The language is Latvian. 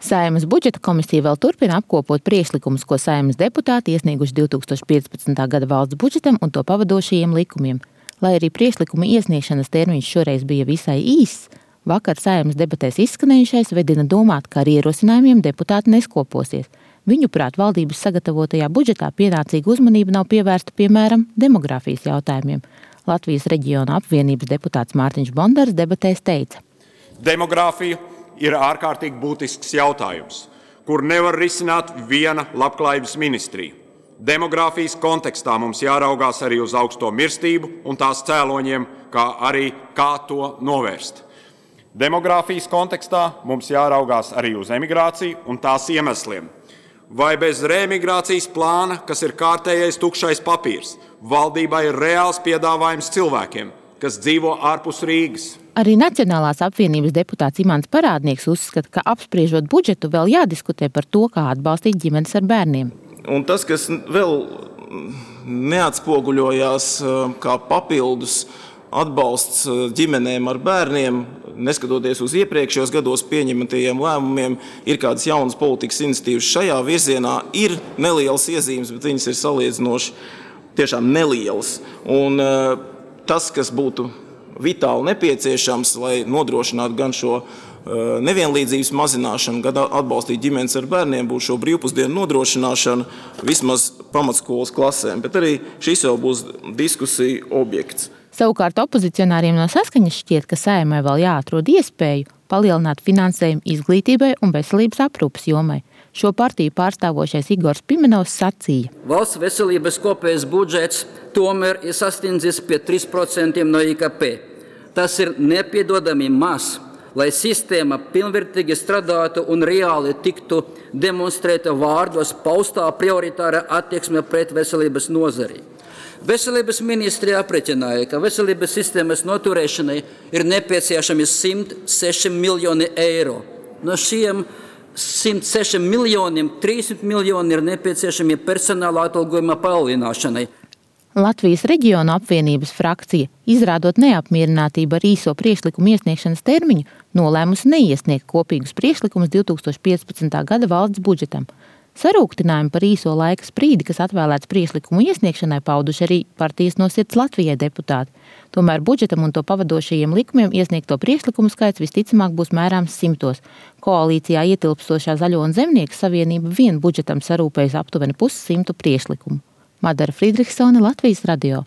Saeimas budžeta komisija vēl turpina apkopot priekšlikumus, ko Saeimas deputāti iesnieguši 2015. gada valsts budžetam un to pavadošajiem likumiem. Lai arī priekšlikuma iesniegšanas termiņš šoreiz bija visai īss, vakar Saeimas debatēs izskanējušais vedina domāt, ka ar ierosinājumiem deputāti neskoposies. Viņuprāt, valdības sagatavotajā budžetā pienācīga uzmanība nav pievērsta, piemēram, demogrāfijas jautājumiem. Latvijas reģiona apvienības deputāts Mārtiņš Bondars debatēs teica: Demogrāfija ir ārkārtīgi būtisks jautājums, kur nevar risināt viena labklājības ministrija. Demogrāfijas kontekstā mums jāraugās arī uz augsto mirstību un tās cēloņiem, kā arī kā to novērst. Demogrāfijas kontekstā mums jāraugās arī uz emigrāciju un tās iemesliem. Vai bez reemigrācijas plāna, kas ir kārtējais tukšais papīrs, valdībai ir reāls piedāvājums cilvēkiem, kas dzīvo ārpus Rīgas? Arī Nacionālās apvienības deputāts Imants Parādnieks uzskata, ka apspriežot budžetu vēl jādiskutē par to, kā atbalstīt ģimenes ar bērniem. Un tas, kas vēl neatspoguļojās kā papildus atbalsts ģimenēm ar bērniem, neskatoties uz iepriekšējos gados pieņemtajiem lēmumiem, ir kādas jaunas politikas iniciatīvas šajā virzienā, ir nelielas iezīmes, bet viņas ir salīdzinoši tiešām nelielas. Un tas, kas būtu vitāli nepieciešams, lai nodrošinātu gan šo nevienlīdzības mazināšanu, gan atbalstīt ģimenes ar bērniem, būs šo brīvpusdienu nodrošināšana vismaz pamatskolas klasēm. Bet arī šis jau būs diskusija objekts. Savukārt opozicionāriem no Saskaņas šķiet, ka Saeimai vēl jāatrod iespēju palielināt finansējumu izglītībai un veselības aprūpes jomai. Šo partiju pārstāvošais Igors Pimenovs sacīja: Valsts veselības kopējais budžets tomēr ir sasniedzis pie 3% no IKP. Tas ir nepiedodami maz, lai sistēma pilnvērtīgi strādātu un reāli tiktu demonstrēta vārdos paustā prioritāra attieksme pret veselības nozari. Veselības ministrija aprēķināja, ka veselības sistēmas noturēšanai ir nepieciešami 106 miljoni eiro. No šiem 106 miljoniem 30 miljoni ir nepieciešami personāla atalgojuma palielināšanai. Latvijas reģiona apvienības frakcija, izrādot neapmierinātību ar īso priekšlikumu iesniegšanas termiņu, nolēmusi neiesniegt kopīgus priekšlikumus 2015. gada valsts budžetam. Sarūktinājumu par īso laika sprīdi, kas atvēlēts priekšlikumu iesniegšanai, pauduši arī partijas No Sirds Latvijai deputāti. Tomēr budžetam un to pavadošajiem likumiem iesniegto priekšlikumu skaits visticamāk būs mērāms 100. Koalīcijā ietilpstošā Zaļo un Zemnieku savienība vien budžetam sarūpējas aptuveni 100 priekšlikumu. Madara Friedrichsone, Latvijas radio.